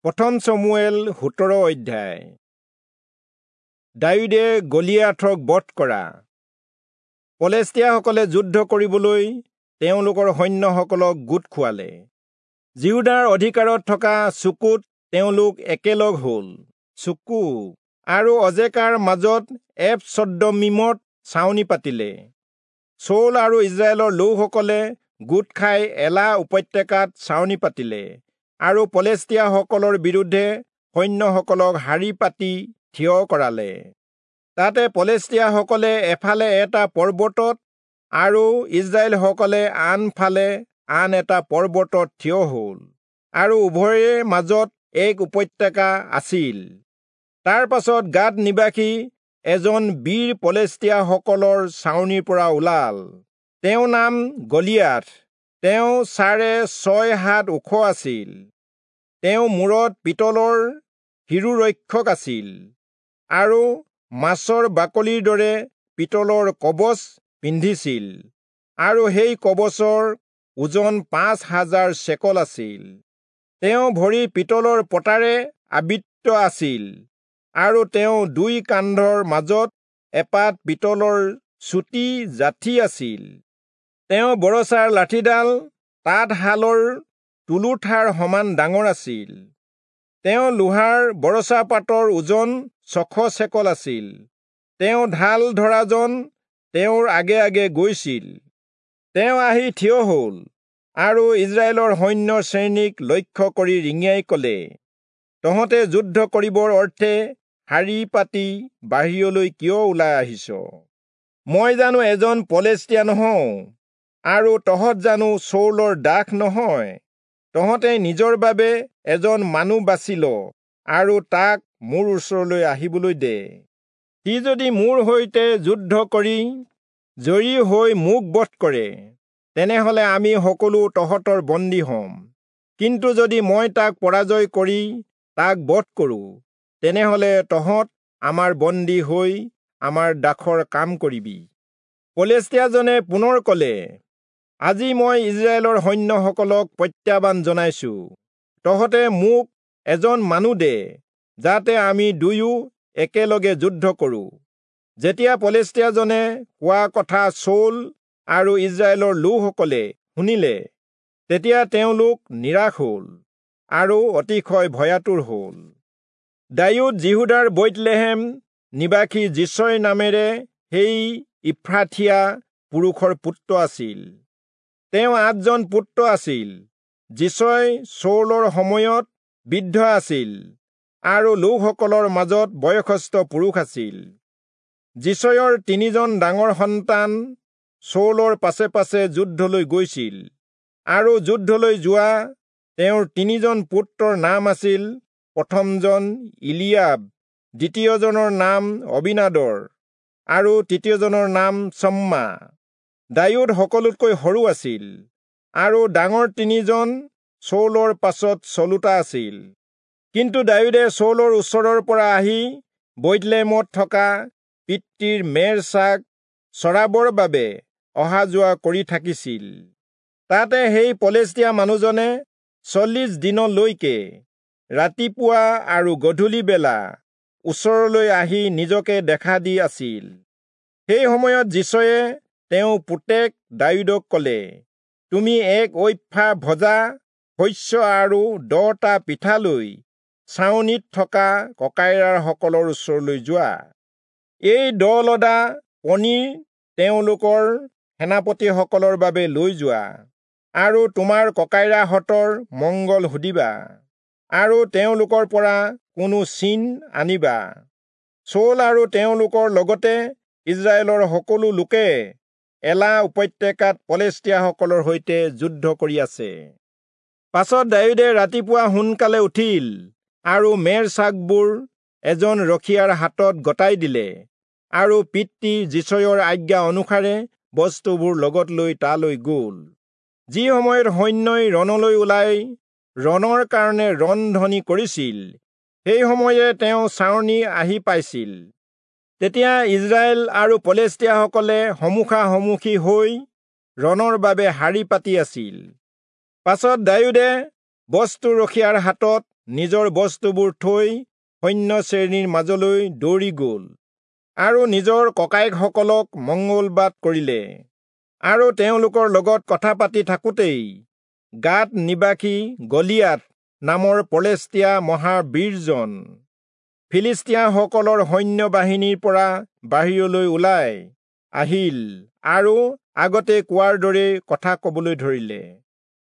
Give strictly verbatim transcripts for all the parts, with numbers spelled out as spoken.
প্ৰথম চমূৱেল সোতৰ অধ্যায়। দায়ূদে গলিয়াথক বধ কৰা। পলেষ্টীয়াসকলে যুদ্ধ কৰিবলৈ তেওঁলোকৰ সৈন্যসকলক গোট খুৱালে। যিহূদাৰ অধিকাৰত থকা চুকুত তেওঁলোক একেলগ হ'ল। চুকু আৰু অজেকাৰ মাজত এফচদ্দমীমত ছাউনি পাতিলে। চৌল আৰু ইস্ৰায়েলৰ লোকসকলে গোট খাই এলা উপত্যকাত ছাউনি পাতিলে আৰু পলেষ্টীয়াসকলৰ বিৰুদ্ধে সৈন্যসকলক শাৰী পাতি থিয় কৰালে। তাতে পলেষ্টীয়াসকলে এফালে এটা পৰ্বতত আৰু ইস্ৰায়েলসকলে আনফালে আন এটা পৰ্বতত থিয় হ'ল আৰু উভয়ৰে মাজত এক উপত্যকা আছিল। তাৰ পাছত গাত নিবাসী এজন বীৰ পলেষ্টীয়াসকলৰ ছাউনিৰ পৰা ওলাল। তেওঁৰ নাম গলিয়াথ। তেওঁ চাৰে ছয় হাত ওখ আছিল। তেওঁ মূৰত পিতলৰ শিৰোৰক্ষক আছিল আৰু মাছৰ বাকলিৰ দৰে পিতলৰ কৱচ পিন্ধিছিল আৰু সেই কৱচৰ ওজন পাঁচ হাজাৰ চেকল আছিল। তেওঁ ভৰি পিতলৰ পতাৰে আবৃত আছিল আৰু তেওঁ দুই কান্ধৰ মাজত এপাত পিতলৰ চুটি যাঠি আছিল। তেওঁ বৰছাৰ লাঠিডাল তাঁতশালৰ তুলোঠাৰ সমান ডাঙৰ আছিল। তেওঁ লোহাৰ বৰছাপাতৰ ওজন ছশ চেকল আছিল। তেওঁ ঢাল ধৰাজন তেওঁৰ আগে আগে গৈছিল। তেওঁ আহি থিয় হ'ল আৰু ইস্ৰায়েলৰ সৈন্য শ্ৰেণীক লক্ষ্য কৰি ৰিঙিয়াই ক'লে, তহঁতে যুদ্ধ কৰিবৰ অৰ্থে শাৰী পাতি বাহিৰলৈ কিয় ওলাই আহিছ? মই জানো এজন পলেষ্টীয়া নহওঁ আৰু তহঁত জানো চৌলৰ দাস নহয়? তহঁতে নিজৰ বাবে এজন মানুহ বাছি ল আৰু তাক মোৰ ওচৰলৈ আহিবলৈ দে। সি যদি মোৰ সৈতে যুদ্ধ কৰি জয়ী হৈ মোক বধ কৰে, তেনেহলে আমি সকলো তহঁতৰ বন্দী হ'ম। কিন্তু যদি মই তাক পৰাজয় কৰি তাক বধ কৰোঁ, তেনেহলে তহঁত আমাৰ বন্দী হৈ আমাৰ দাসৰ কাম কৰিবি। পলেষ্টীয়াজনে পুনৰ ক'লে, আজি মই ইস্ৰায়েলৰ সৈন্যসকলক প্ৰত্যাহ্বান জনাইছো। তহঁতে মোক এজন মানুহ দে, যাতে আমি দুয়ো একেলগে যুদ্ধ কৰোঁ। যেতিয়া পলেষ্টীয়াজনে কোৱা কথা চৌল আৰু ইস্ৰায়েলৰ লোকসকলে শুনিলে, তেতিয়া তেওঁলোক নিৰাশ হ'ল আৰু অতিশয় ভয়াতুৰ হ'ল। দায়ূদ যিহূদাৰ বৈৎলেহেম নিবাসী যিচয় নামেৰে সেই ইফ্ৰাথীয়া পুৰুষৰ পুত্ৰ আছিল। তেওঁ আঠজন পুত্ৰ আছিল। যিচয় চৌলৰ সময়ত বৃদ্ধ আছিল আৰু লোকসকলৰ মাজত বয়সস্থ পুৰুষ আছিল। যিচয়ৰ তিনিজন ডাঙৰ সন্তান চৌলৰ পাছে পাছে যুদ্ধলৈ গৈছিল আৰু যুদ্ধলৈ যোৱা তেওঁৰ তিনিজন পুত্ৰৰ নাম আছিল, প্ৰথমজন ইলিয়াব, দ্বিতীয়জনৰ নাম অবিনাদৰ আৰু তৃতীয়জনৰ নাম চম্মা। দায়ূদ সকলোতকৈ সৰু আছিল আৰু ডাঙৰ তিনিজন চৌলৰ পাছত চলোতা আছিল। কিন্তু দায়ূদে চৌলৰ ওচৰৰ পৰা আহি বৈৎলেহেমত থকা পিতৃৰ মেৰ ছাগ চৰাবৰ বাবে অহা যোৱা কৰি থাকিছিল। তাতে সেই পলেষ্টীয়া মানুহজনে চল্লিশ দিনলৈকে ৰাতিপুৱা আৰু গধূলি বেলা ওচৰলৈ আহি নিজকে দেখা দি আছিল। সেই সময়ত যিচয়ে তেওঁ পুতেক দায়ূদক ক'লে, তুমি এক ঐফা ভজা শস্য আৰু দহটা পিঠা লৈ ছাউনিত থকা ককাইৰাসকলৰ ওচৰলৈ যোৱা। এই দহ লদা পনীৰ তেওঁলোকৰ সেনাপতিসকলৰ বাবে লৈ যোৱা আৰু তোমাৰ ককাইৰাহঁতৰ মংগল সুধিবা আৰু তেওঁলোকৰ পৰা কোনো চিন আনিবা। চৌল আৰু তেওঁলোকৰ লগতে ইস্ৰায়েলৰ সকলো লোকে এলা উপত্যকাত পলেষ্টীয়াসকলৰ সৈতে যুদ্ধ কৰি আছে। পাছত দায়ূদে ৰাতিপুৱা সোনকালে উঠিল আৰু মেৰ ছাগবোৰ এজন ৰখীয়াৰ হাতত গতাই দিলে আৰু পিতৃ যিচয়ৰ আজ্ঞা অনুসাৰে বস্তুবোৰ লগত লৈ তালৈ গ'ল। যি সময়ত সৈন্যই ৰণলৈ ওলাই ৰণৰ কাৰণে ৰণধ্বনি কৰিছিল, সেই সময়তে তেওঁ ছাউনি আহি পাইছিল। তেতিয়া ইস্ৰায়েল আৰু পলেষ্টীয়াসকলে সন্মুখাসন্মুখী হৈ ৰণৰ বাবে শাৰী পাতি আছিল। পাছত দায়ূদে বস্তু ৰখীয়াৰ হাতত নিজৰ বস্তুবোৰ থৈ সৈন্য শ্ৰেণীৰ মাজলৈ দৌৰি গ'ল আৰু নিজৰ ককায়েকসকলক মঙ্গলবাদ কৰিলে। আৰু তেওঁলোকৰ লগত কথা পাতি থাকোঁতেই গাত নিবাসী গলিয়াত নামৰ পলেষ্টীয়া মহাবীৰজন ফিলিষ্টীয়াসকলৰ সৈন্য বাহিনীৰ পৰা বাহিৰলৈ ওলাই আহিল আৰু আগতে কোৱাৰ দৰে কথা কবলৈ ধৰিলে।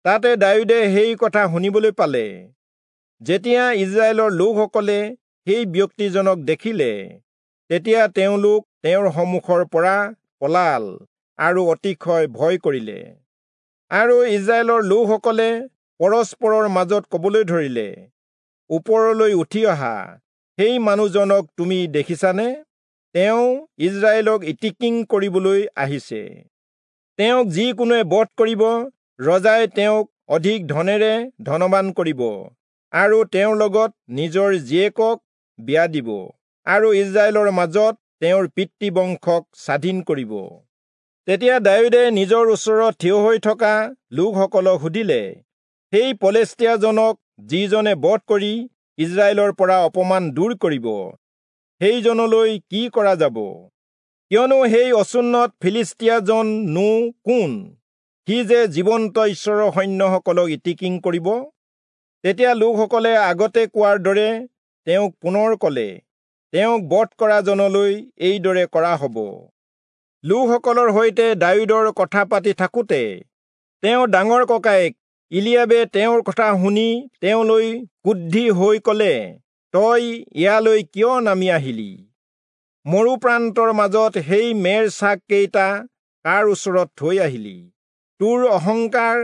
তাতে দায়ূদে সেই কথা শুনিবলৈ পালে। যেতিয়া ইজৰাইলৰ লোকসকলে সেই ব্যক্তিজনক দেখিলে, তেতিয়া তেওঁলোক তেওঁৰ সন্মুখৰ পৰা পলাল আৰু অতিশয় ভয় কৰিলে। আৰু ইজৰাইলৰ লোকসকলে পৰস্পৰৰ মাজত কবলৈ ধৰিলে, ওপৰলৈ উঠি অহা সেই মানুহজনক তুমি দেখিছানে? তেওঁ ইজৰাইলক ইতিকিং কৰিবলৈ আহিছে। তেওঁক যিকোনোৱে বধ কৰিব, ৰজাই তেওঁক অধিক ধনেৰে ধনবান কৰিব আৰু তেওঁৰ লগত নিজৰ জীয়েকক বিয়া দিব আৰু ইজৰাইলৰ মাজত তেওঁৰ পিতৃবংশক স্বাধীন কৰিব। তেতিয়া দায়ূদে নিজৰ ওচৰত থিয় হৈ থকা লোকসকলক সুধিলে, সেই পলেষ্টীয়াজনক যিজনে বধ কৰি ইজৰাইলৰ পৰা অপমান দূৰ কৰিব, সেইজনলৈ কি কৰা যাব? কিয়নো সেই অচুন্নত ফিলিষ্টীয়াজন নো কোন, সি যে জীৱন্ত ঈশ্বৰৰ সৈন্যসকলক ইতিকিং কৰিব? তেতিয়া লোকসকলে আগতে কোৱাৰ দৰে তেওঁক পুনৰ কলে, তেওঁক বধ কৰাজনলৈ এইদৰে কৰা হ'ব। লোকসকলৰ সৈতে দায়ূদৰ কথা পাতি থাকোঁতে তেওঁ ডাঙৰ ককায়েক ইলিয়াবে তেওঁৰ কথা শুনি তেওঁলৈ ক্ৰুদ্ধি হৈ কলে, তই ইয়ালৈ কিয় নামি আহিলি? মৰুপ্ৰান্তৰ মাজত সেই মেৰ ছাগকেইটা কাৰ ওচৰত থৈ আহিলি? তোৰ অহংকাৰ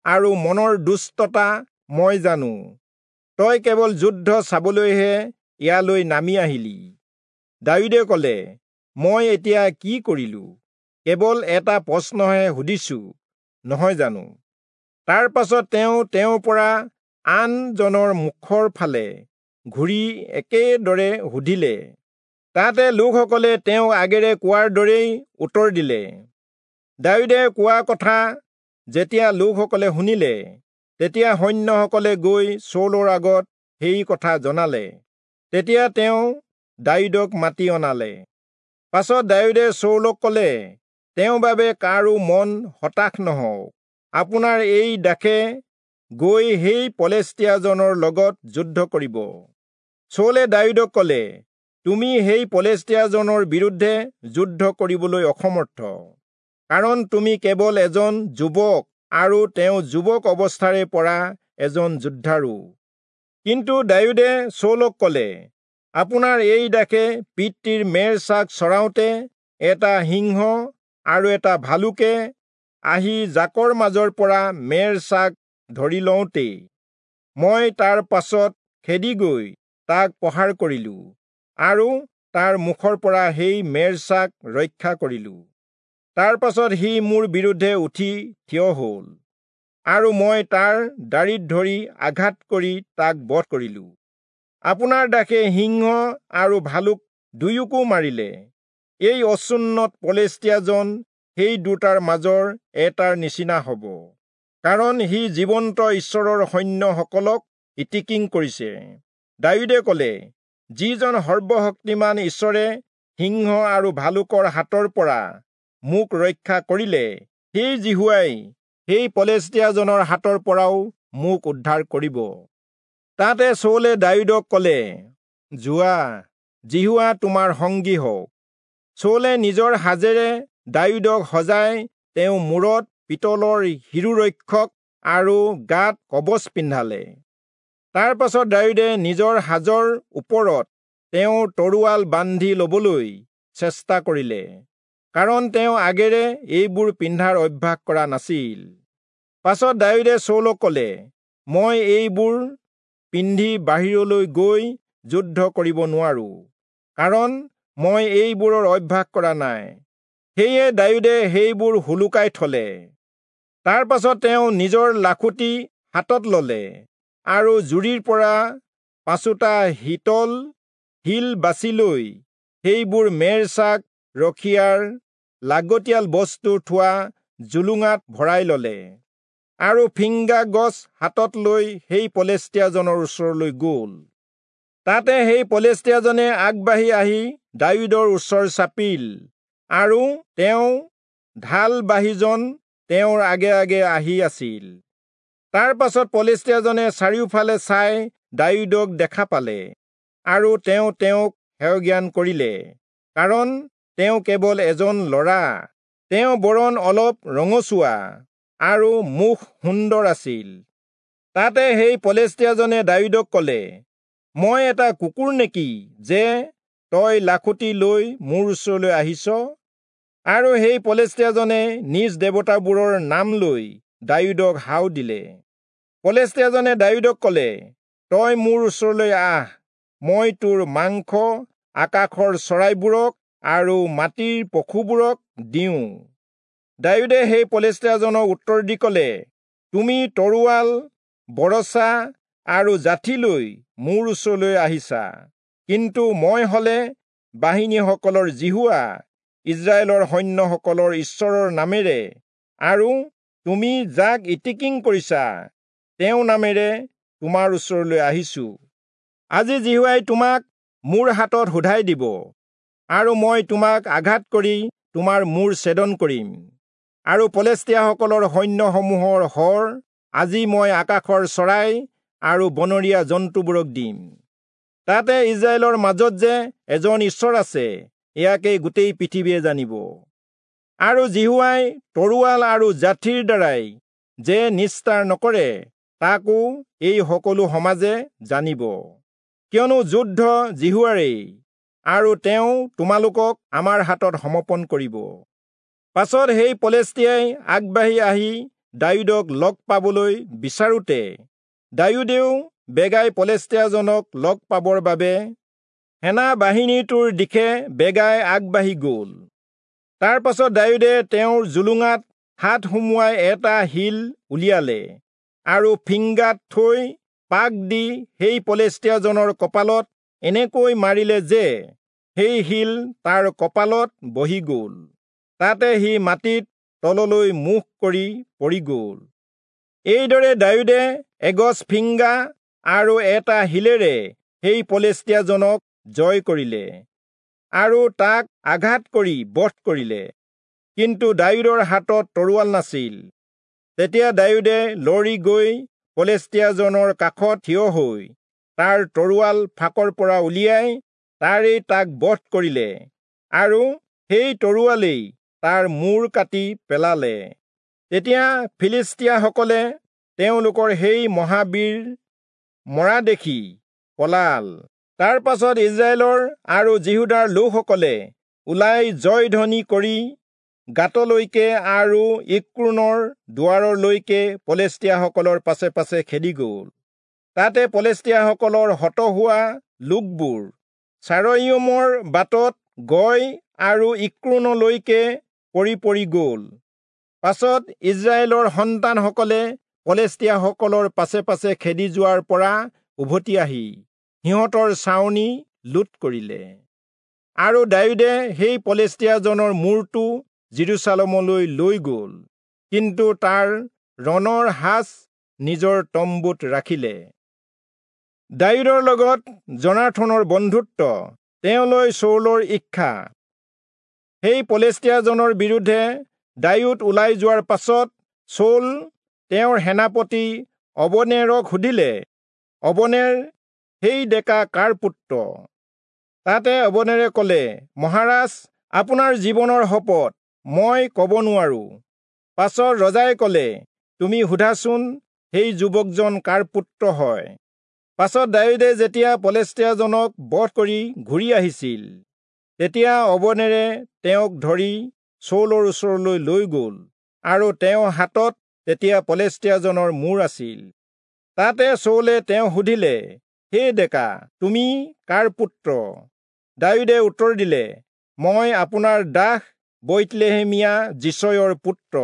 আৰু মনৰ দুষ্টতা মই জানো। তই কেৱল যুদ্ধ চাবলৈহে ইয়ালৈ নামি আহিলি। দায়ূদে কলে, মই এতিয়া কি কৰিলো? কেৱল এটা প্ৰশ্নহে সুধিছো, নহয় জানো? তাৰ পাছত তেওঁ তেওঁৰ পৰা আনজনৰ মুখৰ ফালে ঘূৰি একেদৰে সুধিলে। তাতে লোকসকলে তেওঁ আগেৰে কোৱাৰ দৰেই উত্তৰ দিলে। দায়ূদে কোৱা কথা যেতিয়া লোকসকলে শুনিলে, তেতিয়া সৈন্যসকলে গৈ চৌলৰ আগত সেই কথা জনালে। তেতিয়া তেওঁ দায়ূদক মাতি অনালে। পাছত দায়ূদে চৌলক কলে, তেওঁৰ বাবে কাৰো মন হতাশ নহওক। আপোনাৰ এই দাসে গৈ সেই পলেষ্টীয়াজনৰ লগত যুদ্ধ কৰিব। চৌলে দায়ূদক কলে, তুমি সেই পলেষ্টীয়াজনৰ বিৰুদ্ধে যুদ্ধ কৰিবলৈ অসমৰ্থ, কাৰণ তুমি কেৱল এজন যুৱক আৰু তেওঁ যুৱক অৱস্থাৰে পৰা এজন যোদ্ধাৰু। কিন্তু দায়ূদে চৌলক কলে, আপোনাৰ এই দাসে পিতৃৰ মেৰ ছাগ চৰাওঁতে এটা সিংহ আৰু এটা ভালুকে আহি জাকৰ মাজৰ পৰা মেৰ ছাগ ধৰি লওঁতেই মই তাৰ পাছত খেদি গৈ তাক প্ৰহাৰ কৰিলো আৰু তাৰ মুখৰ পৰা সেই মেৰ ছাগ ৰক্ষা কৰিলো। তাৰ পাছত সি মোৰ বিৰুদ্ধে উঠি থিয় হল আৰু মই তাৰ দাড়িত ধৰি আঘাত কৰি তাক বধ কৰিলো। আপোনাৰ দাসে সিংহ আৰু ভালুক দুয়োকো মাৰিলে। এই অচুন্নত পলেষ্টীয়াজন সেই দুটাৰ মাজৰ এটাৰ নিচিনা হ'ব, কাৰণ সি জীৱন্ত ঈশ্বৰৰ সৈন্যসকলক ইতিকিং কৰিছে। দায়ূদে কলে, যিজন সৰ্বশক্তিমান ঈশ্বৰে সিংহ আৰু ভালুকৰ হাতৰ পৰা মোক ৰক্ষা কৰিলে, সেই যিহোৱাই সেই পলেষ্টীয়াজনৰ হাতৰ পৰাও মোক উদ্ধাৰ কৰিব। তাতে চৌলে দায়ূদক কলে, যোৱা, যিহোৱা তোমাৰ সংগী হওক। চৌলে নিজৰ সাজেৰে দায়ূদক সজাই তেওঁ মূৰত পিতলৰ শিৰোৰক্ষক আৰু গাত কৱচ পিন্ধালে। তাৰ পাছত দায়ূদে নিজৰ সাজৰ ওপৰত তেওঁৰ তৰোৱাল বান্ধি লবলৈ চেষ্টা কৰিলে, কাৰণ তেওঁ আগেৰে এইবোৰ পিন্ধাৰ অভ্যাস কৰা নাছিল। পাছত দায়ূদে চৌলক কলে, মই এইবোৰ পিন্ধি বাহিৰলৈ গৈ যুদ্ধ কৰিব নোৱাৰো, কাৰণ মই এইবোৰৰ অভ্যাস কৰা নাই। সেয়ে দায়ূদে সেইবোৰ হুলুকাই থলে। তাৰ পাছত তেওঁ নিজৰ লাখুটি হাতত ললে আৰু জুৰিৰ পৰা পাঁচোটা শীতল শিল বাছি লৈ সেইবোৰ মেৰ ছাগ ৰখীয়াৰ লাগতিয়াল বস্তু থোৱা জোলোঙাত ভৰাই ললে আৰু ফিংগা গছ হাতত লৈ সেই পলেষ্টীয়াজনৰ ওচৰলৈ গ'ল। তাতে সেই পলেষ্টীয়াজনে আগবাঢ়ি আহি দায়ূদৰ ওচৰ চাপিল, আৰু তেওঁ ঢাল বাহীজন তেওঁৰ আগে আগে আহি আছিল। তাৰ পাছত পলেষ্টীয়াজনে চাৰিওফালে চাই দায়ূদক দেখা পালে, আৰু তেওঁ তেওঁক হেয়জ্ঞান কৰিলে, কাৰণ তেওঁ কেৱল এজন ল'ৰা, তেওঁ বৰণ অলপ ৰঙচুৱা আৰু মুখ সুন্দৰ আছিল। তাতে সেই পলেষ্টীয়াজনে দায়ূদক ক'লে, মই এটা কুকুৰ নেকি যে তই লাখুটি লৈ মোৰ ওচৰলৈ আহিছ? আৰু সেই পলেষ্টীয়াজনে নিজ দেৱতাবোৰৰ নাম লৈ দায়ূদক হাও দিলে। পলেষ্টীয়াজনে দায়ূদক ক'লে, তই মোৰ ওচৰলৈ আহ, মই তোৰ মাংস আকাশৰ চৰাইবোৰক আৰু মাটিৰ পশুবোৰক দিওঁ। দায়ূদে সেই পলেষ্টীয়াজনক উত্তৰ দি ক'লে, তুমি তৰোৱাল, বৰছা আৰু যাঠি লৈ মোৰ ওচৰলৈ আহিছা, কিন্তু মই হলে বাহিনীসকলৰ যিহোৱা, ইস্ৰায়েলৰ সৈন্যসকলৰ ঈশ্বৰৰ নামেৰে আৰু তুমি যাক ইতিকিং কৰিছা তেওঁ নামেৰে তোমাৰ ওচৰলৈ আহিছো। আজি যিহোৱাই তোমাক মোৰ হাতত শোধাই দিব, আৰু মই তোমাক আঘাত কৰি তোমাৰ মূৰ ছেদন কৰিম, আৰু পলেষ্টীয়াসকলৰ সৈন্যসমূহৰ হৰ আজি মই আকাশৰ চৰাই আৰু বনৰীয়া জন্তুবোৰক দিম। তাতে ইস্ৰায়েলৰ মাজত যে এজন ঈশ্বৰ আছে, ইয়াকে গোটেই পৃথিৱীয়ে জানিব। আৰু যিহোৱাই তৰোৱাল আৰু যাঠিৰ দ্বাৰাই যে নিস্তাৰ নকৰে, তাকো এই সকলো সমাজে জানিব। কিয়নো যুদ্ধ যিহোৱাৰেই, আৰু তেওঁ তোমালোকক আমাৰ হাতত সমৰ্পণ কৰিব। পাছত সেই পলেষ্টীয়াই আগবাঢ়ি আহি দায়ূদক লগ পাবলৈ বিচাৰোঁতে দায়ূদেও বেগাই পলেষ্টীয়াজনক লগ পাবৰ বাবে সেনা বাহিনীটোৰ দিশে বেগাই আগবাঢ়ি গ'ল। তাৰ পাছত দায়ূদে তেওঁৰ জোলোঙাত হাত সুমুৱাই এটা শিল উলিয়ালে আৰু ফিংগাত থৈ পাক দি সেই পলেষ্টীয়াজনৰ কপালত এনেকৈ মাৰিলে যে সেই শিল তাৰ কপালত বহি গ'ল। তাতে সি মাটিত তললৈ মুখ কৰি পৰি গ'ল। এইদৰে দায়ূদে এগছ ফিংগা আৰু এটা শিলেৰে সেই পলেষ্টীয়াজনক জয় কৰিলে আৰু তাক আঘাত কৰি বধ কৰিলে। কিন্তু দায়ূদৰ হাতত তৰোৱাল নাছিল। তেতিয়া দায়ূদে লৰি গৈ পলেষ্টীয়াজনৰ কাষত থিয় হৈ তাৰ তৰোৱাল ফাকৰ পৰা উলিয়াই তাৰেই তাক বধ কৰিলে, আৰু সেই তৰোৱালেই তাৰ মূৰ কাটি পেলালে। তেতিয়া ফিলিষ্টীয়াসকলে তেওঁলোকৰ সেই মহাবীৰ মৰা দেখি পলাল। তাৰ পাছত ইস্ৰায়েলৰ আৰু যিহূদাৰ লোকসকলে ওলাই জয়ধ্বনি কৰি গাতলৈকে আৰু ইক্ৰোনৰ দুৱাৰলৈকে পলেষ্টীয়াসকলৰ পাছে পাছে খেদি গ'ল। তাতে পলেষ্টীয়াসকলৰ হত হোৱা লোকবোৰ চাৰয়িমৰ বাটত গয় আৰু ইক্ৰোনলৈকে পৰি পৰি গ'ল। পাছত ইস্ৰায়েলৰ সন্তানসকলে পলেষ্টীয়াসকলৰ পাছে পাছে খেদি যোৱাৰ পৰা উভতি আহি সিহঁতৰ ছাউনি লুট কৰিলে। আৰু দায়ূদে সেই পলেষ্টীয়াজনৰ মূৰটো যিৰূচালেমলৈ লৈ গ'ল, কিন্তু তাৰ ৰণৰ সাজ নিজৰ তম্বুত ৰাখিলে। দায়ূদৰ লগত যোনাথনৰ বন্ধুত্ব, তেওঁলৈ চৌলৰ ইচ্ছা। সেই পলেষ্টীয়াজনৰ বিৰুদ্ধে দায়ূদ ওলাই যোৱাৰ পাছত চৌল তেওঁৰ সেনাপতি অবনেৰক সুধিলে, অবনেৰ, সেই ডেকা কাৰ পুত্ৰ? তাতে অবনেৰে ক'লে, মহাৰাজ, আপোনাৰ জীৱনৰ শপত মই ক'ব নোৱাৰো। পাছত ৰজাই ক'লে, তুমি সোধাচোন সেই যুৱকজন কাৰ পুত্ৰ হয়? পাছত দায়ূদে যেতিয়া পলেষ্টীয়াজনক বধ কৰি ঘূৰি আহিছিল, তেতিয়া অবনেৰে তেওঁক ধৰি চৌলৰ ওচৰলৈ লৈ গ'ল, আৰু তেওঁৰ হাতত তেতিয়া পলেষ্টীয়াজনৰ মূৰ আছিল। তাতে চৌলে তেওঁ সুধিলে, হে ডেকা, তুমি কাৰ পুত্ৰ? দায়ূদে উত্তৰ দিলে, মই আপোনাৰ দাস বৈৎলেহেমীয়া যিচয়ৰ পুত্ৰ।